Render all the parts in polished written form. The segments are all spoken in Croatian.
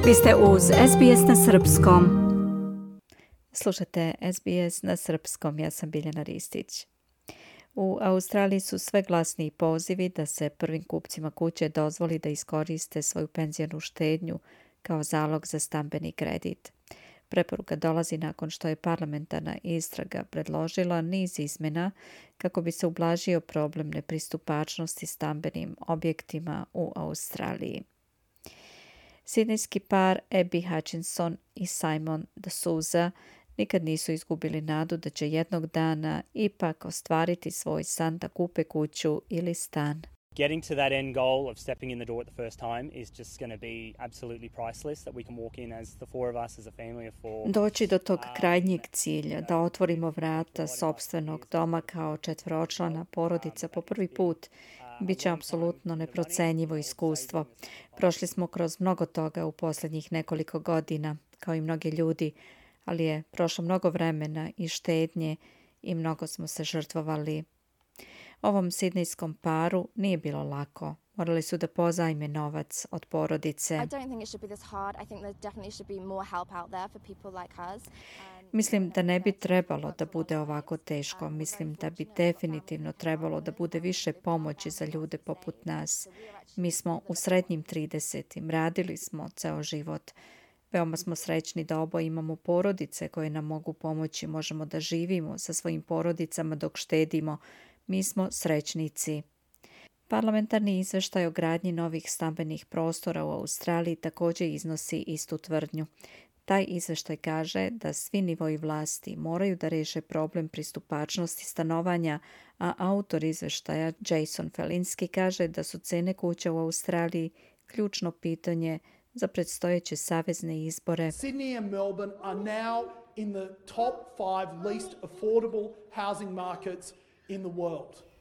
Vi ste uz SBS na srpskom. Slušate SBS na srpskom, ja sam Biljana Ristić. U Australiji su sve glasniji pozivi da se prvim kupcima kuće dozvoli da iskoriste svoju penzionu štednju kao zalog za stambeni kredit. Preporuka dolazi nakon što je parlamentarna istraga predložila niz izmjena kako bi se ublažio problem nepristupačnosti stambenim objektima u Australiji. Sidnejski par Abby Hutchinson i Simon de Souza nikad nisu izgubili nadu da će jednog dana ipak ostvariti svoj san da kupe kuću ili stan. Getting to that end goal of stepping in the door at the first time is just going to be absolutely priceless, that we can walk in as the four of us, as a family of four. Doći do tog krajnjeg cilja, da otvorimo vrata sopstvenog doma kao četvoročlana porodica po prvi put, bit će apsolutno neprocenjivo iskustvo. Prošli smo kroz mnogo toga u posljednjih nekoliko godina, kao i mnogi ljudi, ali je prošlo mnogo vremena i štednje i mnogo smo se žrtvovali. Ovom sidnejskom paru nije bilo lako. Morali su da pozajme novac od porodice. Mislim da ne bi trebalo da bude ovako teško. Mislim da bi definitivno trebalo da bude više pomoći za ljude poput nas. Mi smo u srednjim 30-im, radili smo ceo život. Veoma smo srećni da oboje imamo porodice koje nam mogu pomoći. Možemo da živimo sa svojim porodicama dok štedimo. Mi smo srećnici. Parlamentarni izveštaj o gradnji novih stambenih prostora u Australiji također iznosi istu tvrdnju. Taj izveštaj kaže da svi nivoi vlasti moraju da reše problem pristupačnosti stanovanja, a autor izveštaja Jason Felinski kaže da su cene kuća u Australiji ključno pitanje za predstojeće savezne izbore. Sydney and Melbourne are now in the top 5 least affordable housing markets in the world.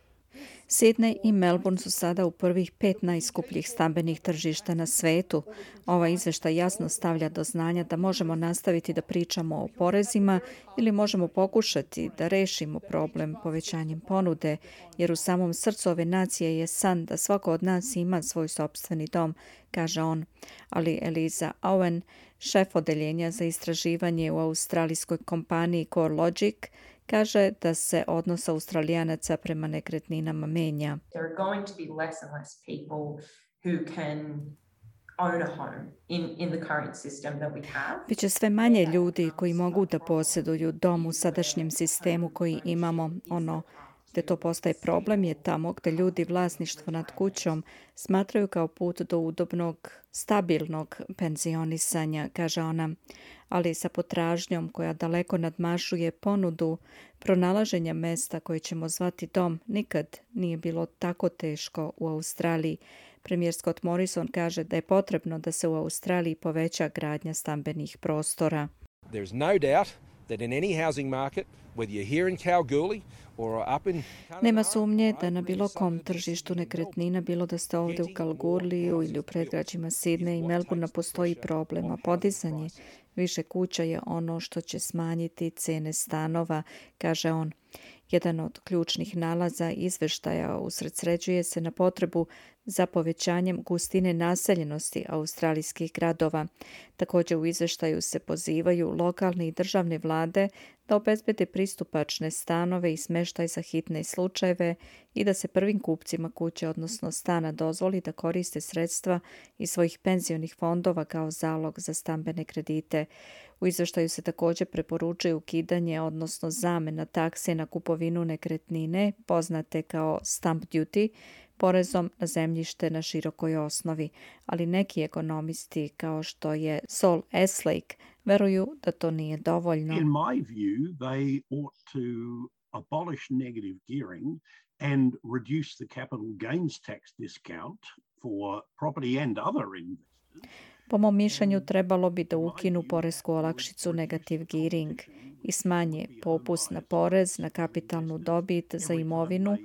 Sydney i Melbourne su sada u prvih 5 najskupljih stambenih tržišta na svetu. Ovaj izveštaj jasno stavlja do znanja da možemo nastaviti da pričamo o porezima ili možemo pokušati da rešimo problem povećanjem ponude, jer u samom srcu ove nacije je san da svako od nas ima svoj sopstveni dom, kaže on. Ali Eliza Owen, šef odeljenja za istraživanje u australijskoj kompaniji CoreLogic, kaže da se odnos Australijanaca prema nekretninama menja. There are going to be less and less people who can own a home in the current system that we have. Biće sve manje ljudi koji mogu da posjeduju dom u sadašnjem sistemu koji imamo. Ono gde to postaje problem je tamo gde ljudi vlasništvo nad kućom smatraju kao put do udobnog, stabilnog penzionisanja, kaže ona, ali sa potražnjom koja daleko nadmašuje ponudu, pronalaženja mesta koje ćemo zvati dom nikad nije bilo tako teško u Australiji. Premijer Scott Morrison kaže da je potrebno da se u Australiji poveća gradnja stambenih prostora. There's no doubt that in any housing market, whether you're here in Kalgoorlie or up in... Nema sumnje da na bilo kom tržištu nekretnina, bilo da ste ovdje u Kalgoorliju ili u predgrađima Sidneja i Melbournea, postoji problem, a podizanje više kuća je ono što će smanjiti cene stanova, kaže on. Jedan od ključnih nalaza izveštaja usredsređuje se na potrebu za povećanjem gustine naseljenosti australijskih gradova. Također u izveštaju se pozivaju lokalne i državne vlade da obezbede pristupačne stanove i smještaj za hitne slučajeve i da se prvim kupcima kuće, odnosno stana, dozvoli da koriste sredstva iz svojih penzionih fondova kao zalog za stambene kredite. U izveštaju se također preporučuje ukidanje, odnosno zamena takse na kupovinu nekretnine, poznate kao stamp duty, porezom na zemljište na širokoj osnovi, ali neki ekonomisti kao što je Saul Eslake veruju da to nije dovoljno. In my view, they ought to abolish negative gearing and reduce the capital gains tax discount for property and other investors. Po mom mišljenju trebalo bi da ukinu poresku olakšicu negative gearing i smanje popust na porez, na kapitalnu dobit za imovinu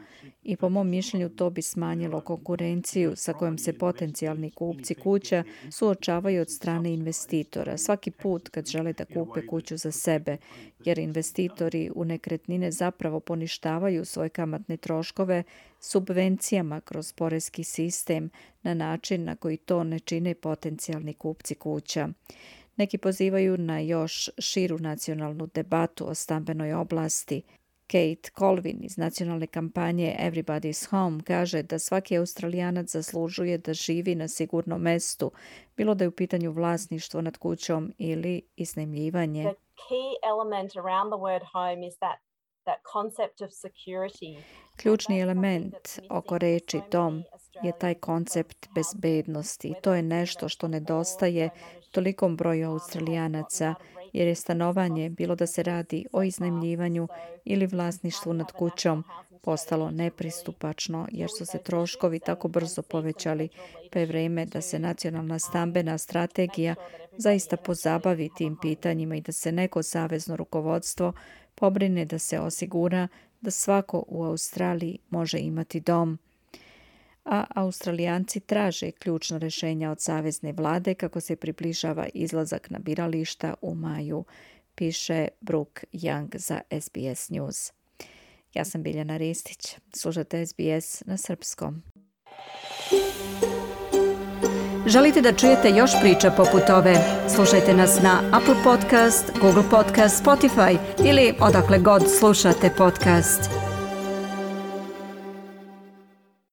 i po mom mišljenju to bi smanjilo konkurenciju sa kojom se potencijalni kupci kuća suočavaju od strane investitora svaki put kad žele da kupe kuću za sebe, jer investitori u nekretnine zapravo poništavaju svoje kamatne troškove subvencijama kroz porezki sistem na način na koji to ne čine potencijalni kupci kuća. Neki pozivaju na još širu nacionalnu debatu o stambenoj oblasti. Kate Colvin iz nacionalne kampanje Everybody's Home kaže da svaki Australijanac zaslužuje da živi na sigurnom mestu, bilo da je u pitanju vlasništvo nad kućom ili iznajmljivanje. The key element around the word home is that concept of security. Ključni element oko reči dom je taj koncept bezbednosti. To je nešto što nedostaje tolikom broju Australijanaca, jer je stanovanje, bilo da se radi o iznajmljivanju ili vlasništvu nad kućom, postalo nepristupačno jer su se troškovi tako brzo povećali, pa je vrijeme da se nacionalna stambena strategija zaista pozabavi tim pitanjima i da se neko savezno rukovodstvo pobrine da se osigura da svako u Australiji može imati dom. A Australijanci traže ključna rješenja od savezne vlade kako se približava izlazak na birališta u maju, piše Brooke Young za SBS News. Ja sam Biljana Ristić. Slušate SBS na srpskom. Želite da čujete još priča poput ove? Slušajte nas na Apple Podcast, Google Podcast, Spotify ili odakle god slušate podcast.